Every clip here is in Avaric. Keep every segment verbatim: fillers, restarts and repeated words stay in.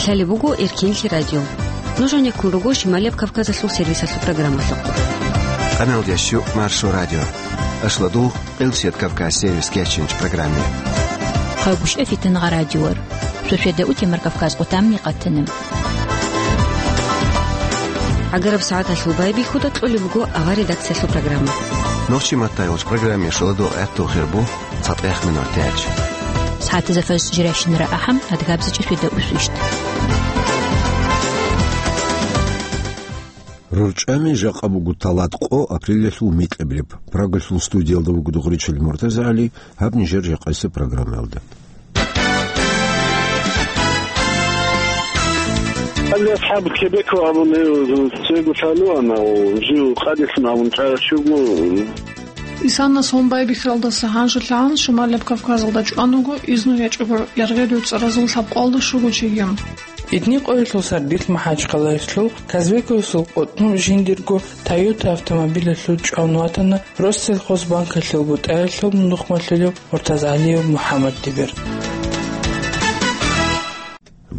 Лъалеб буго Эркенлъи радио. Нуж гьанеккун руго Шималияб Кавказалъул сервисалъул программалъухъ. Къаналдящу Маршо радио. Ашладул Къилсият Кавказ сервис кечинч программе. Хъагушев Фитнагъа радиор. Суседа утемар Кавказ къутамни къатанем. ГӀагараб сагӀаталъул байбихьуда кьолеб буго авар редакциялъул программа. Нохчи маттайолч программе шоладо гӀатту хирбу цатӀех минор тяч. СагӀатазда фарс жиращинара ахӀам, адгабзичӀа суседа усвищт. РорчӀами жакъа буго талат къо апрелалъул микьабилеб. Прагалъул студиялда вуго Дугъричил МуртазагӀали, гьаб нижер жакъасеб программаялда. Гьале асхӀаб Кебеко абун гьев цего лъалуана, жив къадилъун абун чӀарав щуго. Исанас гьун байбихьаралдаса гьанжелъагӀан Шималаб Кавказалда чӀван вуго изну гьечӀого яргъи-дуцӀаразул лъабкъоялда щуго чиги. Идни къоялъул сардилъ МахӀачхъалаялъул Казбековасул къотӀнов жиндирго Toyota автомобилалъул чӀван ватана Россельхозбанкалъул бутӀаялъул нухмалъулев МуртазагӀалиев МухӀаммаддибер.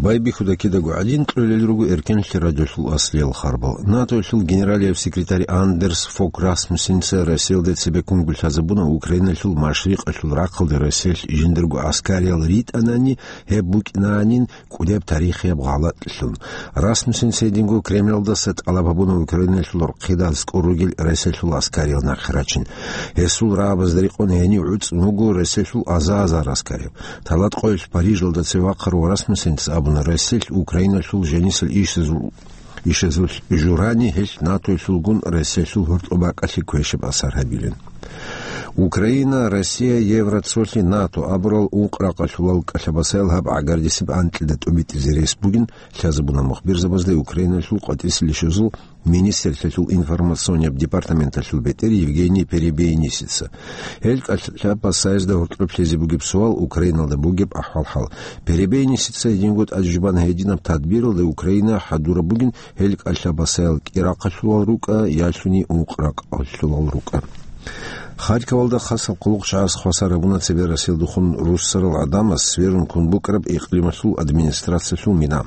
Байбихьуда кидаго гӀадин кьолел руго Эркенлъи радиолъул аслиял харбал. НАТОялъул генералияб секретарь Андерс Фог Расмуссенца Россиялда цебе ккунго лъазабуна Украиналъул машрикъалъул рахъалде Россиялъ жиндирго гӀаскариял ритӀанани, гьеб букӀинанин кӀудеб тарихияб гъалатӀлъун. Расмуссенца гьединго Кремлалдаса тӀалаб гьабуна Украиналъул рахъалда аскӀор ругел Россиялъул гӀаскариял нахъе рачин. Гьесул рагӀабазда рекъон гьенив гӀуцӀун вуго Россиялъул аза-азар гӀаскарияв. Талат къоялъ Парижалда цеве вахъарав Расмуссенца абуна, Россиялъ Украиналъул жанисел ишазул, ишазул журани гьелъ НАТОялъулгун Россиялъул гьоркьоб бакӀалъе квешаб асар гьабилин. Украина, Россия, Евроцолъи, НАТО абурал ункъ ракъалъулал кӀалъабасаял гьаб гӀагардисеб анкьида тӀубитӀизе рес бугин лъазабуна мухбирзабазда Украиналъул къватӀисел ишазул министрлъиялъул информационияб департаменталъул бетӀер Евгений Перебейнисица. Гьел кӀалъабасаязда гьоркьоб лъезе бугеб суал Украиналда бугеб ахӀвал-хӀал. Перебейнисица гьединго тӀаде жубана гьединаб тадбиралда Украина хӀадураб бугин гьел кӀалъабасаял кӀирахъалъулал рукӀа ялъуни ункъ ракъалъулал рукӀа. Харьковалда хасаб хъулухъчагӀаз хвасар гьабуна цебе Россиялдехун руссарал гӀадамаз сверун ккун букӀараб икълималъул администрациялъул мина.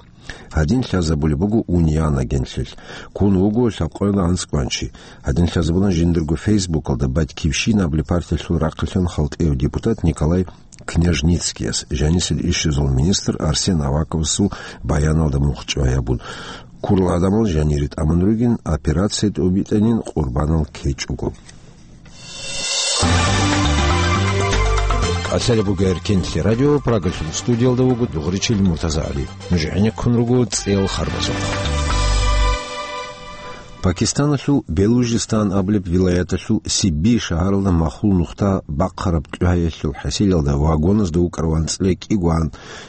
Гьадин лъазабулеб буго Униян агентлъи. Ккун вуго лъабкъоялда анцӀкӀван чи. Гьадин лъазабуна жиндирго Фейсбукалда «Батькивщина» абулеб партиялъул рахъалъан халтӀияв депутат Николай Княжницкияс, жанисел ишазул министр Арсен Аваковасул баяналда мухъ чӀвай гьабун. Ккурал гӀадамал жанире тӀамун ругин, операция тӀубитӀанин къурбанал ккечӀого. Лъалеб буго Эркенлъи радио, Прагалъул студиялда вуго Дугъричил МуртазагӀали. Нуж гӀенеккун руго цӀеял харбазухъ. Пакистаналъул Белужистан абулеб вилаяталъул Сибби шагьаралда махул нухда бахъараб кьугьаялъул хӀасилалда вагоназда вукӀарав анцӀила кӀиго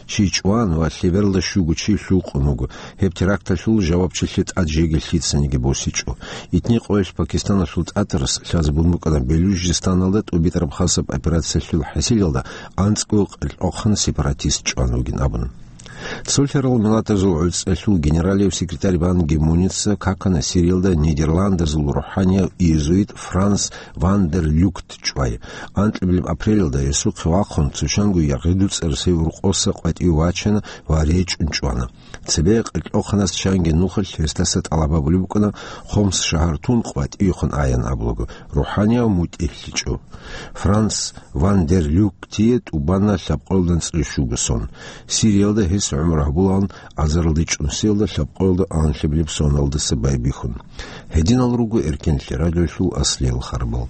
чи чӀван ва лъебералда щуго чи лъукъун вуго. Гьеб теракталъул жавабчилъи тӀад жеги лъицаниги босичӀо. Итни къоялъ Пакистаналъул тӀатарас лъазабун букӀана Белужистаналда тӀубитӀараб хасаб операциялъул хӀасилалда анцӀго къеркьохъан сепаратист чӀван вугин абун. Цолъарал Миллатазул ГӀуцӀралъул генералияв секретарь Бан Ги Муница какана Сириялда Нидерландазул рухӀанияв иезуит Франс ван дер Люкт чӀвай. Анкьабилеб апрелалда гьесухъе вахъун цо чанго яргъи-дуцӀарасев рукъоса къватӀив вачана ва речӀчӀун чӀвана. Цебе къеркьохъанас чанги нухалъ гьесдаса тӀалаб гьабулеб букӀана Хомс шагьар тун къватӀивехун аян абулаго, рухӀанияв мутӀигӀлъичӀо. Франс ван дер Люктие тӀубана лъабкъоялда анцӀила щуго сон. Сириялда гьес гӀумру гьабулаан азарилда чӀунсиялда лъабкъоялда анлъабилеб соналдаса байбихьун. Гьединал руго Эркенлъи радиолъул аслиял харбал.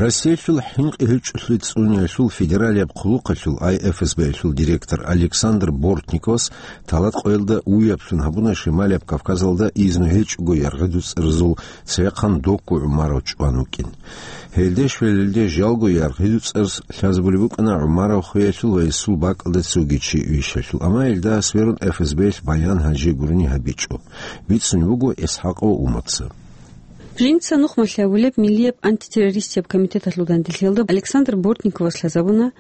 Россиялъул хӀинкъи-гьечӀолъи цӀуниялъул федералияб хъулухъалъул ай эф эс б-ялъул директор Александр Бортниковас талат къоялда уяблъун гьабуна Шималияб Кавказалда изну гьечӀого яргъи-дуцӀарзул цевехъан докку гӀумарав чӀван вукӀин. Гьелде щвелелде жалго яргъи-дуцӀарз лъазабулеб букӀана гӀумарав хвеялъул ва гьесул бакӀалда цоги чи вищалъул, амма гьелда сверун эф эс б-ялъ баян гьанже гурони гьабичӀо. Бицунеб буго ИсхӀакъов Уматца. Жинца нухмалъ гьабулеб Миллияб антитеррористияб комитеталъул данделъиялда Александр Бортниковас лъазабуна,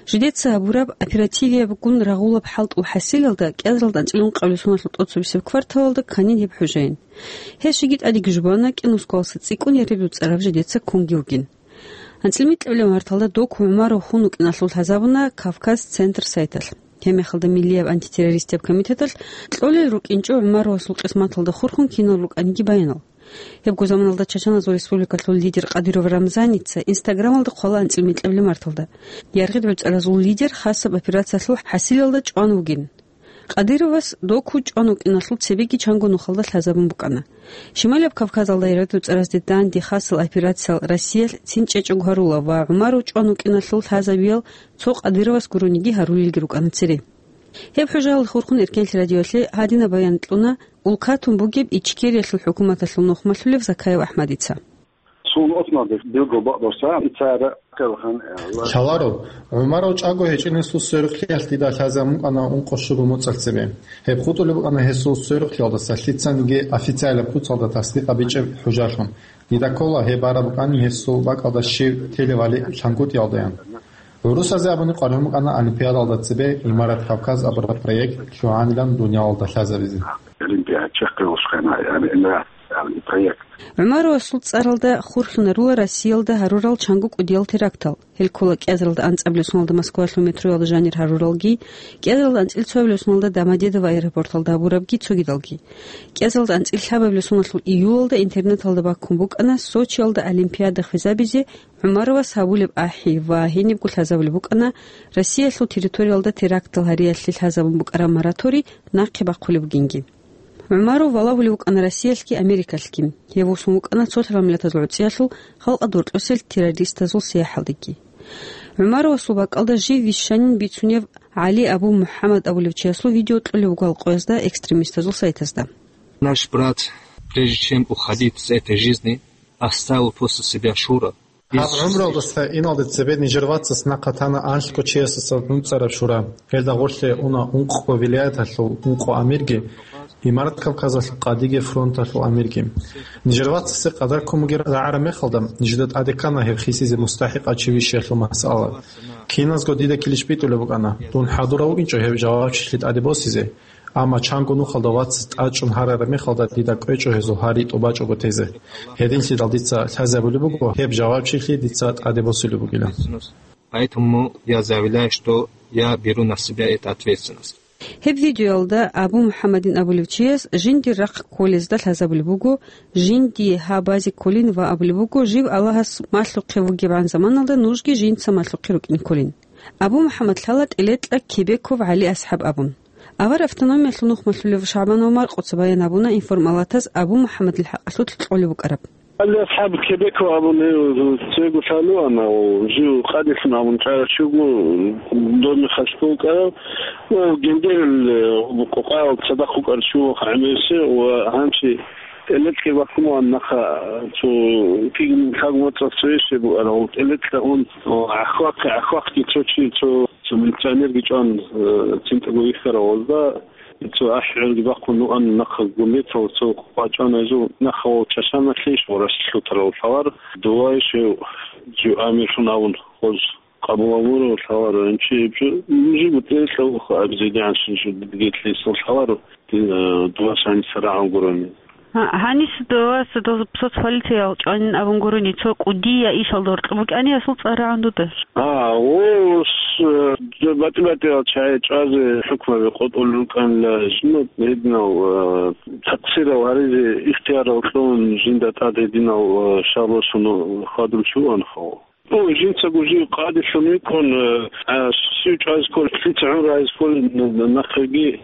жидеца гьабураб оперативиябгун рагъулаб хӀалтӀул хӀасилалда кӀиазаралда анцӀила ункъабилеб соналъул тӀоцебесеб кварталалда кканин гьеб хӀужаин. Гьеб щиги тӀадеги жубана кӀинусгоялдаса цӀикӀкӀун яргъи-дуцӀараб жидеца ккунги вугин. АнцӀила микьабилеб марталда Доку ГӀумаров хун вукӀиналъул лъазабуна Кавказ Центр сайталъ. Гьеб мехалда Миллияб антитеррористияб комитеталъ кьолел рукӀинчӀо ГӀумаровасул къисматалда хурхун кинал рукӀаниги баянал. Гьебго заманалда Чачаназул республикалъул лидер Кадыров Рамзаница Инстаграмалда хъвала анцӀила микьабилеб марталда. Яргъи гӀуцӀаразул лидер хасаб операциялъул хӀасилалда чӀван вугин. Кадыровас Доку чӀван вукӀиналъул цебеги чанго нухалда лъазабун букӀана. Шималияб Кавказалда яргъи гӀуцӀаразде данде хасал операциял Россиялъ цин чӀечӀого гьарула ва ГӀумаров чӀван вукӀиналъул лъазабиял цо Кадыровас гурониги гьарулелги рукӀана цере. Гьеб хӀужаялда хурхун Эркенлъи радиоялъе гьадинаб баян кьуна улкатун бугеб Ичкериялъул хӀукуматалъул нухмалъулев Закаев АхӀмадица. Сун осмалде билгу бакъдаса ицара калхан. Лъаларо, ГӀумаров чӀаго гьечӀинесул сверухълъиялъ дида лъазабун букӀана ункъо щуго моцӀалъ цебе. Гьеб хутӀулеб букӀана гьесул сверухълъиялдаса лъицаниги официалаб куцалда тасдикъ гьабичӀеб хӀужалъун. Дида ккола, гьеб бараб букӀани гьесул бакӀалда щив телевали лъангутӀиялдаян. ГӀурусазе абуни къваригӀун букӀана Олимпиадалда цебе Имарат Кавказ абураб проект лъугӀанилан дуниялалда лъазабизе. Олимпиада чехъе ушхъана, яни, ина, яни, проект. ГӀумаровасул цӀаралда хурхьунарула Россиялда гьарурал чанго кӀудиял терактал. Гьел ккола кӀиазаралда анцӀабилеб соналда Москвалъул метроялда жанир гьаруралги, кӀиазаралда анцӀил цоабилеб соналда Домодедово аэропорталда гьабурабги цогидалги. КӀиазаралда анцӀил лъабабилеб соналъул июлалда интернеталда баккун букӀана Сочиялда Олимпиада хвезабизе ГӀумаровас гьабулеб ахӀи ва гьенибго лъазабулеб букӀана Россиялъул территориялда терактал гьариялъе лъазабун букӀараб мораторий нахъе бахъулеб бугинги. ГӀумаров валагьулев вукӀана Россиялъги Америкалъги. Гьев вуссун вукӀана цолъ миллатазул гӀуцӀиялъул халкъалда гьоркьосел террористазул сияхӀалдеги. ГӀумаровасул бакӀалда жив вищанин бицунев ГӀали Абу МухӀаммад абулев чиясул видео кьолеб буго гьал къоязда экстремистазул сайтазда. Наш брат, прежде чем уходить с этой жизни, оставил после себя шура. Гьаб гӀумруялдаса иналде цебе нижер вацас нахъа тана анлъго чиясаса нуцӀараб шура. Гьелда гъорлъе уна ункъго вилаяталъул ункъо амирги, Имарат Кавказалъул къадиги, фронталъул амирги. Нижер вацасе къадар ккун бугеб рагӀараб мехалда, нижеда тӀаде ккана гьеб хисизе мустахӀикъав чи вищиялъул масъала. Киназго дида килищ битӀулеб букӀана, дун хӀадурав вукӀинчӀо гьеб жавабчилъи тӀаде босизе. Амма чанго нухалда вацас тӀачӀун гьарараб мехалда дида кӀвечӀо гьезул гьари тӀубачӀого тезе. Гьединлъидал дица лъазабулеб буго гьеб жавабчилъи дица тӀаде босулеб бугилан. Поэтому я заявляю, что я беру на себя эту ответственность. Гьеб видеоялда Абу МухӀаммадин абулев чияс жиндир рахъ кколезда лъазабулеб буго, жинди гьабазе кколин ва абулеб буго, жив Аллагьас малъухъе вугебгӀан заманалда нужги жинца малъухъе рукӀин кколин. Абу МухӀаммад лъала тӀелетӀа Кебеков ГӀали асхӀаб абун. Авар автономиялъул нухмалъулев ШагӀбанов Маркъуца баян гьабуна информалатаз Абу МухӀаммадил хӀакъалъулъ кьолеб букӀараб. ГӀали асхӀаб Кебеков абуни цего лъалуана, жив къадилъун абун чӀарав чуго, дорми хасго вукӀарав, ва гендерил, э, къокъаял цадахъ вукӀарав чуго гӀемерисев ва гьанчи тӀелетӀги бахъун нахъа цо кигин лъагмацӀал цоясе бугӀарав, тӀелетӀа ун, о, гӀахвахъе, гӀахвахъги цо чи, цо, цо милиционерги чӀван, э, цинтӀаго вихьарав гьазда. Цо ахӀи гӀурги бахъун вуан нахъа гумбетал, цо къвачӀана гьезул нахъа ва чашана лъейищ ва рас лъутарал лъалар, дувайищ гьев жив амирлъун абун гъоз къабул гьабурав лъалар, гьанчи гьеб жо, жиб бутӀерилъа вуха абизедигӀанщин жо дигетлъисал лъалар, ди-, э, дувас гьаниса рагӀун гурони. Гьа-, гьаниса дувас дов соцполициял чӀванин абун гурони, цо кӀудия ишалда гьоркьоб букӀани асул цӀар рагӀун дуда. А, о, с-, э, батӀи-батӀиял чагӀи чӀвазе хӀукмаби къотӀулел рукӀанила, жинда гьединав, э, такъсирал гьаризе ихтиярал кьун, жинда тӀад гьединав, э, шагьлосун хьвадулев чи вугӀанха. О, жинцаго жив къадилъун вукӀун, э, а, щив чӀвазе кколел, лъица гӀумру гьаризе кколел н-, н-, нахъеги,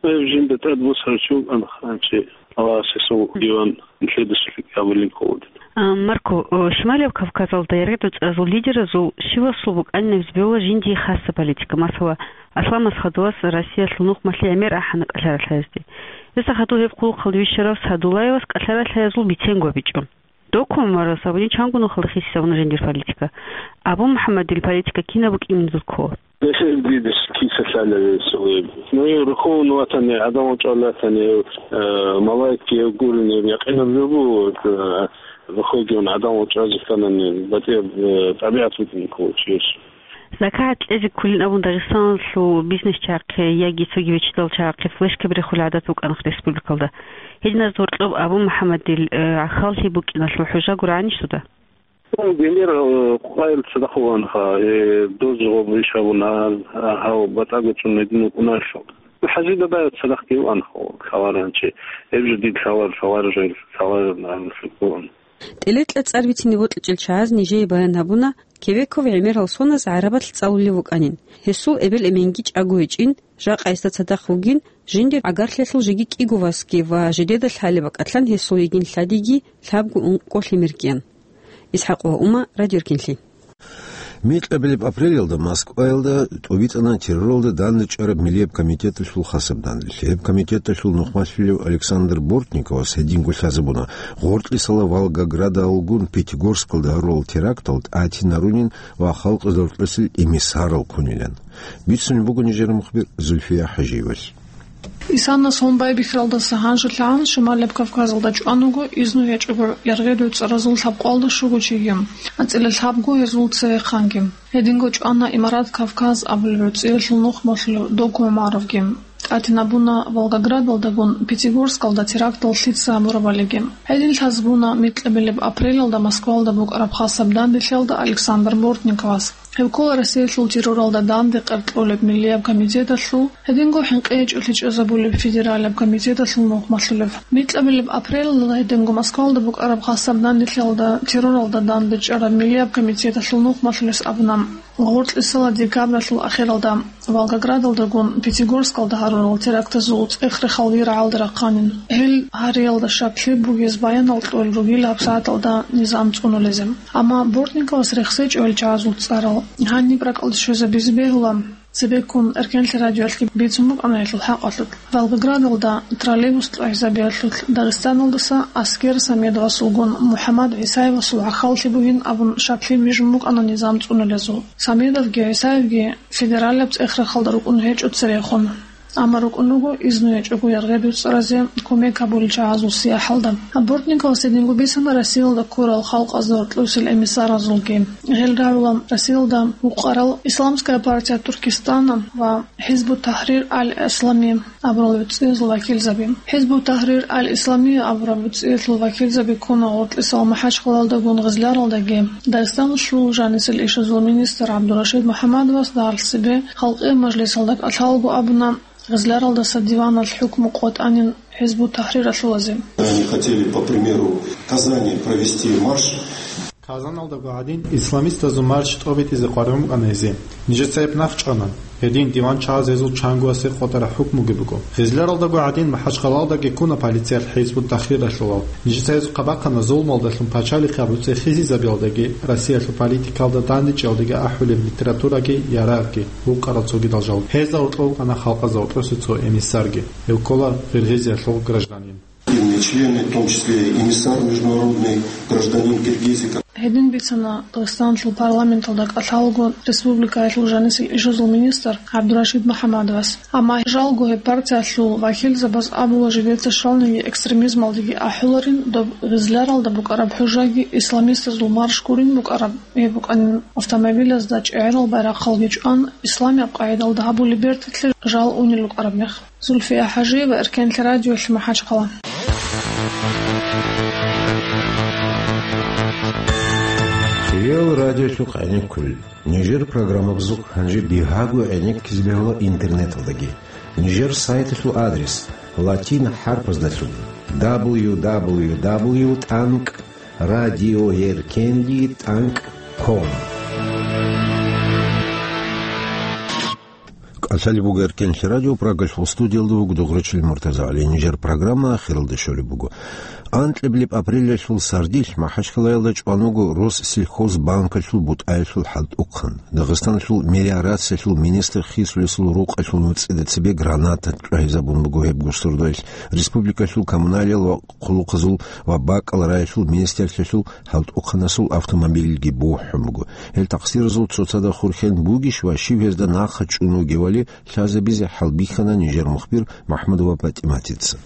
э, жинда тӀад босарав чи вугӀанха, гьанчи Аллагьас гьесул диван нилъеда щиб абулин кколин. А, Марко, о, Шималияб Кавказалда яргъи гӀуцӀаразул лидеразул щивасул букӀанин абизе бегьула жиндие хасаб политика. Масала, Аслам Асхадовас Россиялъул нухмалъе гӀемер ахӀана кӀалъа ралъаязде. Гьесда хадув гьеб хъулухъалде вищарав Садуллаевас кӀалъа ралъаязул биценго бичӀчӀо. Доку ГӀумаровас абуни чанго нухалда хисизабуна жиндир политика. Абу МухӀаммадил политика кинаб букӀинин дуда ккола? Гьеб дидес киса лъалеб гьесул гьеб. Ну, гьев рухун ватани, гӀадамал чӀвалатани, гьев, э, малаикги гьев гурин, гьев якъинаб жо буго, э, рухвеги ун гӀадамал чӀвазе кканани, батӀияб, э, тӀабигӀат букӀин ккола чияс. ЗакагӀат кьезе кколин абун Дагъистаналъул бизнесчагӀахъе яги цоги виччадал чагӀахъе флешкаби рехулеб гӀадат букӀанха республикалда. Гьединазда гьоркьоб Абу МухӀаммадил, э, гӀахьаллъи букӀиналъул хӀужа гурагӀанищ дуда? Гьел, э, къвайил цадахъ вугьанха, э, доз гъоб иш гьабуна, а, гьав батӀаго чӀун гьедин вукӀуналъул. ХӀажи бабаев цадахъги вугьанха, лъаларев гьанчи. Гьеб жо дид лъалар, лъалар жо, лъалар нагӀматлъи вугьан. ТӀилетӀла цӀар бицине бокьичӀел чагӀаз нижее баян гьабуна, Кебеков ГӀемерал Соназ гӀарабалъ цӀалулев вукӀанин. Гьесул эбел-эменги чӀаго гьечӀин, жакъа гьесда цадахъ вугин, жиндир гӀагарлъиялъул жеги кӀиго васги ва жидеда лъалеб бакӀалъан гьесул йигин лъадиги лъабго ункъо лъимер ккеян. ИсхӀакъ ва Ума, Радио Эркенлъи. Микьабилеб апрелалда Москваялда тӀубитӀана терроралда данде чӀараб Миллияб комитеталъул хасаб данделъи. Гьеб комитеталъул нухмалъулев Александр Бортниковас гьединго лъазабуна, гъоркьисала Волгоградалгун Пятигорскалда гьарурал терактал тӀатинарунин ва халкъ зоркьосел эмиссарал ккунилан. Бицунеб буго нижер мухбир Зульфия ХӀажиевалъ. Исанас гьун байбихьаралдаса гьанжелъагӀан Шималаб Кавказалда чӀван вуго изну гьечӀого яргъи-дуцӀаразул лъабкъоялда щуго чиги, анцӀила лъабго гьезул цевехъанги. Гьединго чӀвана Имарат Кавказ абулеб гӀуцӀиялъул нухмалъулев Доку ГӀумаровги. ТӀатинабуна Волгоградалдагун Пятигорскалда терактал лъица гьабурабалиги. Гьедин лъазабуна микьабилеб апрелалда Москвалда букӀараб хасаб данделъиялда Александр Бортниковас. Гьев ккола Россиялъул терроралда данде къеркьулеб Миллияб комитеталъул, гьединго хӀинкъи гьечӀолъи чӀезабулеб федералаб комитеталъул нухмалъулев. Микьабилеб апрелалда гьединго Москвалда букӀараб хасаб данделъиялда терроралда данде чӀараб Миллияб комитеталъул нухмалъулес абуна, гъоркьисала декабралъул ахиралда Волгоградалдагун Пятигорскалда гьарурал терактазул цӀех-рехал вирагӀалда рахъанин. Гьел гьариялда щаклъи бугез баянал кьолел ругел гьабсагӀаталда низам цӀунулезе. Амма Бортниковас рехсечӀо гьел чагӀазул цӀарал. Гьаниб ракӀалде щвезабизе бегьула, цебеккун Эркенлъи радиоялъги бицун букӀана гьелъул хӀакъалъулъ. Волгоградалда троллейбус кьвагьизабиялъулъ Дагъистаналдаса аскер Самедовасулгун МухӀаммад ГӀисаевасул гӀахьаллъи бугин абун щаклъи бижун букӀана низам цӀунулезул. Самедовги ГӀисаевги федералаб цӀех-рехалда рукӀун гьечӀо церехун. Амма рукӀун руго изну гьечӀого яргъи-дуцӀаразе кумек гьабулел чагӀазул сияхӀалда. Бортниковас гьединго бицана Россиялда ккурал халкъазда гьоркьосел эмиссаразулги. Гьел рагӀула Россиялда вукъарал Исламская партия Туркестана ва ХӀизбут-ТахӀрир аль-Ислами абурал гӀуцӀиязул вакилзаби. ХӀизбут-ТахӀрир аль-Ислами абураб гӀуцӀиялъул вакилзаби ккуна гъоркьисал МахӀачхъалаялдагун Гъизляралдаги. Дагъистаналъул жанисел ишазул министр ГӀабдурашид МухӀаммадовас дагьалъ цебе Халкъиял мажлисалда кӀалъалаго абуна, Гъизляралдаса диваналъ хӀукму къотӀанин ХӀизбут-ТахӀриралъулазе. Они хотели, по примеру Казани, провести марш. Казаналдаго гьадин исламистазул марш тӀобитӀизе къваригӀун букӀана гьезие. Нижеца гьеб нахъчӀвана. Гьедин диван чагӀаз гьезул чангоясе къотӀараб хӀукмуги буго. Гъизляралдаго гьадин МахӀачхъалаялдаги ккуна полициялъ ХӀизбут-ТахӀриралъулал. Нижеца гьезухъа бахъана зулмалдалъун пачалихъи гьабуцӀи хизизабиялдаги, Россиялъул политикалда дандечӀиялдаги ахӀулеб литератураги, ярагъги, вукъарал цогидал жал. Гьезда гьоркьов вукӀана халкъазда гьоркьосе цо эмиссарги. Гьев ккола Гъиргъизиялъул гражданин. Активные члены, в том числе эмиссар международный, гражданин Киргизии. Гьедин бицана Дагъистаналъул парламенталда кӀалъалаго республикаялъул жанисел ишазул министр ГӀабдурашид МухӀаммадовас. Амма жалго гьеб партиялъул вакилзабаз абула жидеца щвалниги экстремизмалдеги ахӀуларин, доб Гъизляралда букӀараб хӀужаги исламистазул марш гурин букӀараб, гьеб букӀанин автомобилазда чӀегӀерал байрахъалги чӀван, исламияб къагӀидалда гьабулеб берталъе жал унел рукӀараб мех. Зульфия ХӀажиева, Эркенлъи радиолъи, МахӀачхъала. Хириял радиолъухъ гӀенеккулел. Нижер программабазухъ гьанже бигьаго гӀенеккизе бегьула интернеталдаги. Нижер сайталъул адрес латин хӀарпаздалъун: дабл ю дабл ю дабл ю тӀанкӀ радио эркенлъи тӀанкӀ ком. КӀалъалеб буго Эркенлъи радио, Прагалъул студиялда вуго Дугърачил Муртазагьали. Нижер программа ахиралде щолеб буго. Анкьабилеб апрелалъул сардилъ МахӀачхъалаялда чӀван вуго Россельхозбанкалъул бутӀаялъул хӀалтӀухъан. Дагъистаналъул мелиорациялъул министр хисулесул рукъалъул нуцӀида цебе граната чӀвагьизабун буго гьеб госордоялъ, республикалъул коммуналиял ва хъулухъазул ва бакӀал раялъул министрлъиялъул хӀалтӀухъанасул автомобильги бухӀун буго. Гьел такъсиразул цоцазда хурхен бугищ ва щив гьезда нахъа чӀун вугевали лъазабизе хӀалбихьана нижер мухбир МахӀмудова ПатӀиматица.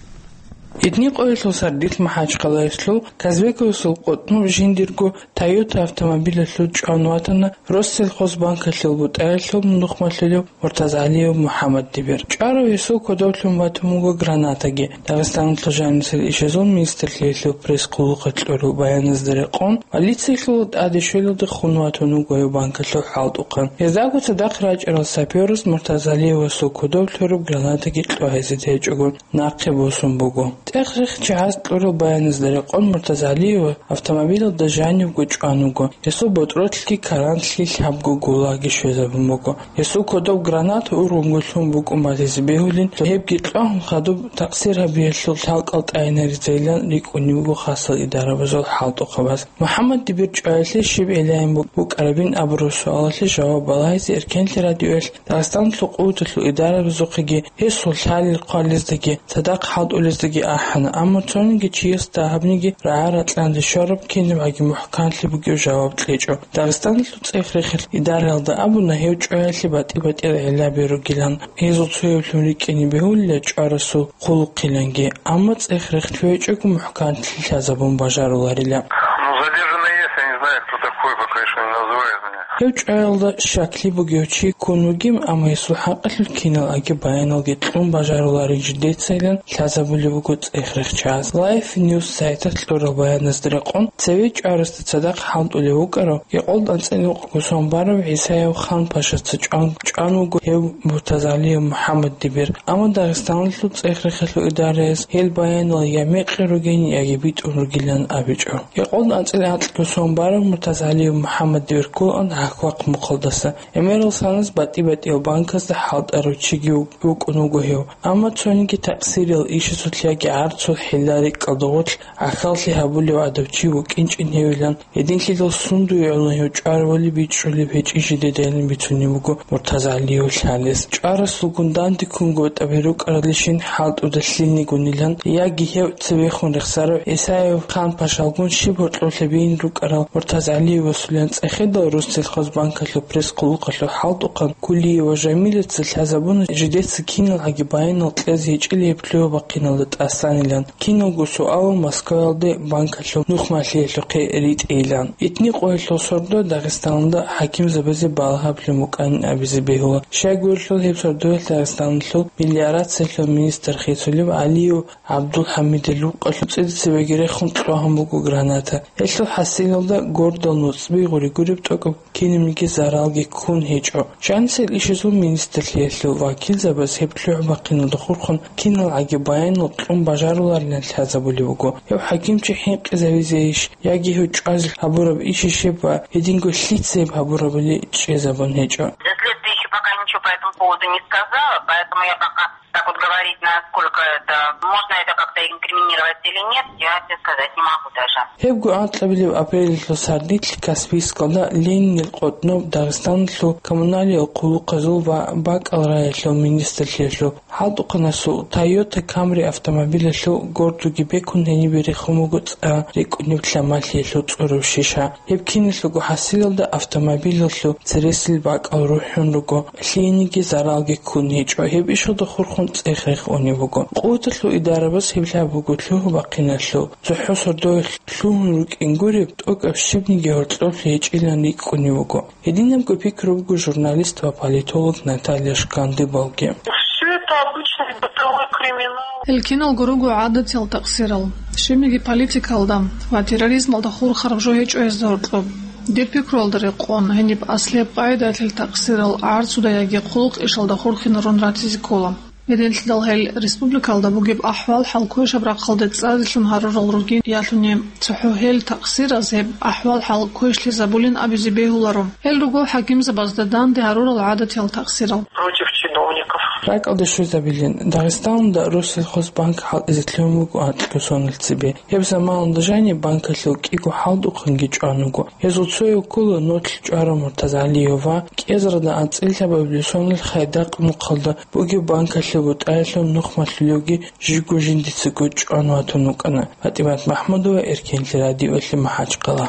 Итни къоялъул сардилъ МахӀачхъалаялъул Казбековасул къотӀнов жиндирго Toyota автомобилалъул чӀван ватана Россельхозбанкалъул бутӀаялъул нухмалъулев Муртазгьалиев МухӀаммаддибир. ЧӀварав гьесул кодовлъун ватун вуго гранатаги. Дагъистаналъул жанисел ишазул министрлъиялъул пресс-хъулухъалъ кьураб баяназда рекъон, полициялъул тӀаде щвелалде хун ватун вуго гьев банкалъул хӀалтӀухъан. Гьездаго цадахъ рачӀарал сапёрас Муртазгьалиевасул кодовлъ гьораб гранатаги кьогьезе течӀого, нахъе босун буго. ЦӀех-рехчагӀаз кьурал баяназда рекъон, Муртазгьалиев автомобилалда жанивго чӀван вуго. Гьесул ботӀролъги карантлъи лъабго гулаги щвезабун буго. Гьесул кодоб граната ургъунго лъун букӀун батизе бегьулин, гьебги кьвагьун хадуб такъсир гьабиялъул лъалкӀал тӀайинаризейилан рикӀкӀунеб буго хасал идарабазул хӀалтӀухъабаз. МухӀаммаддибир чӀваялъе щиб гӀелайин бу-, букӀарабин абураб суалалъе жаваб балагьизе Эркенлъи радиоялъ Дагъистаналъул къуваталъул идарабазухъеги, гьесул лъалел-хъвалездаги, цадахъ хӀалтӀулездаги ахӀана, амма цониги чиясда гьабниги рагӀа-ракьанде щвараб кинабгӀаги мухӀканлъи бугев жаваб кьечӀо. Дагъистаналъул цӀех-рехил идараялда абуна, гьев чӀваялъе батӀи-батӀиял гӀиллаби ругилан, гьезул цояблъун рикӀкӀине бегьулила чӀварасул хъулухъиланги, амма цӀех-рех лъугӀичӀого мухӀканлъи лъазабун бажаруларила. Ну, задержанный есть, я не знаю, кто такой, пока ещё не называют меня. Гьев чӀваялда щаклъи бугев чи ккун вугин, амма гьесул хӀакъалъулъ киналгӀаги баяналги кьун бажаруларин жидецайилан лъазабулеб буго цӀех-рехчагӀаз. Life News сайталъ кьурал баяназда рекъон, цеве чӀварасда цадахъ хӀалтӀулев вукӀарав, Гьекъолда анцӀила нухалъ сон барав ГӀисаев Ханпашаца чӀван, чӀван вуго гьев Муртазгьалиев МухӀаммаддибир, амма Дагъистаналъул цӀех-рехалъул идараяс гьел баянал я мекъи ругин, яги битӀун ругилан абичӀо. Гьекъолда анцӀила анкьго сон барав Муртазгьалиев МухӀаммаддибир кколаан гьахь-вахъ мухъалдаса. ГӀемерал санас батӀи-батӀиял банкасда хӀалтӀарав чиги вукӀун вуго гьев. Амма цониги такъсирал ишазулъ яги гӀарцул хӀилла-рикӀкӀалда гъорлъ гӀахьаллъи гьабулев гӀадав чи вукӀинчӀин гьевилан, гьединлъидал сундуе гӀоло гьев чӀварабали бичӀчӀулеб гьечӀин жидедайилан бицунеб буго Муртазгьалиев лъалес. ЧӀварасулгун данде ккунго батӀаби рукӀаралдалъун хӀалтӀуда лъилнигунилан, яги гьев цевехун рехсарав ГӀисаев Ханпашалгун щиб гьоркьоб лъабиин рукӀарал Муртазгьалиевасулилан цӀехедал Россельхозбанкалъул пресс-хъулухъалъул хӀалтӀухъан Кулиева Жамилаца лъазабуна жидеца киналгӀаги баянал кьезе гьечӀила гьеб лъугьа-бахъиналда тӀасанилан. Киналго суалал Москваялде банкалъул нухмалъиялъухъе ритӀейилан. Итни къоялъул сордо Дагъистаналда хӀакимзабазе балагьаблъун букӀанин абизе бегьула. Щайгурелъул гьеб сордоялъ Дагъистаналъул мелиорациялъул министр хисулев ГӀалиев ГӀабдулхӀамидил рукъалъул цӀидацебеги рехун кьвагьун буго граната. Гьелъул хӀасилалда гордал нуцӀби гъури гуреб тӀокӀаб кинабниги заралги ккун гьечӀо. Жанисел ишазул министрлъиялъул вакилзабаз гьеб лъугӀа-бахъиналда хурхун киналгӀаги баянал кьун бажаруларилан лъазабулеб буго. Гьев хӀакимчи хӀинкъизавизейищ яги гьев чӀвазе гьабураб ишищеб ва гьединго лъица гьеб гьабурабали чӀезабун гьечӀо. Для следствия ещё пока ничего по этому поводу не сказала, поэтому я пока так вот говорить, насколько это, можно это как-то инкриминировать или нет, я тебе сказать не могу даже. Гьебго анкьабилеб апрелалъул сардилъ Каспийскалда Ленинил къотӀноб Дагъистаналъул коммуналиял хъулухъазул ва бакӀал раялъул министрлъиялъул хӀалтӀухъанасул Toyota Camry автомобилалъул гордуги бекун гьенибе рехун буго цӀа рикӀкӀунеб лъамалъиялъул цӀураб шиша. Гьеб киналъулго хӀасилалда автомобилалъул цересел бакӀал рухӀун руго, лъиениги заралги ккун гьечӀо, гьеб ишалда хурхун цӀех-рех унеб буго. Къуваталъул идарабаз гьеб лъаб буго лъугьа-бахъиналъул. ЦохӀо сордоялъ лъугьун рукӀин гуреб, тӀокӀаб щибниги гьоркьоблъи гьечӀилан рикӀкӀунеб буго. Гьединабго пикру буго журналист ва политолог Наталья Шкандыбалги. Всё это обычный бытовой криминал. Гьел киналго руго гӀадатиял такъсирал. Щибниги политикалда ва терроризмалда хурхараб жо гьечӀо гьезда гьоркьоб. Дир пикруялда рекъон, гьениб аслияб къагӀидаялъул такъсирал гӀарцуда яги хъулухъ ишалда хурхинарун ратизе ккола. Гьединлъидал гьел республикалда бугеб ахӀвал-хӀал квешаб рахъалде цӀарилъун гьарурал ругин ялъуни, цохӀо гьел такъсираз гьеб ахӀвал-хӀал квешлъизабулин абизе бегьуларо. Гьел руго хӀакимзабазда данде гьарурал гӀадатиял такъсирал. Против чиновников. РакӀалде щвезабилин, Дагъистаналда Россельхозбанк хӀалтӀизе лъугьун буго анкьго соналъ цебе. Гьеб заманалда жаниб банкалъул кӀиго хӀалтӀухъанги чӀван вуго. Гьезул цояв ккола нолъ чӀварав Муртазгьалиев ва кӀезарда анцӀила лъабабилеб соналъ Хайдакъ мухъалда бугеб банкалъул бутӀаялъул нухмалъулевги жибго жиндицаго чӀван ватун вукӀана. ПатӀимат МахӀмудова, Эркенлъи радиоялъе, МахӀачхъала.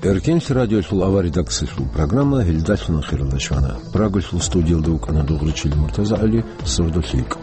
Эркенлъи радиолъул авар редакциялъул программа гьелдалъун ахиралде щвана. Прагалъул студиялда вукӀана Дугъричил МуртазагӀали, сордо лъикӀ.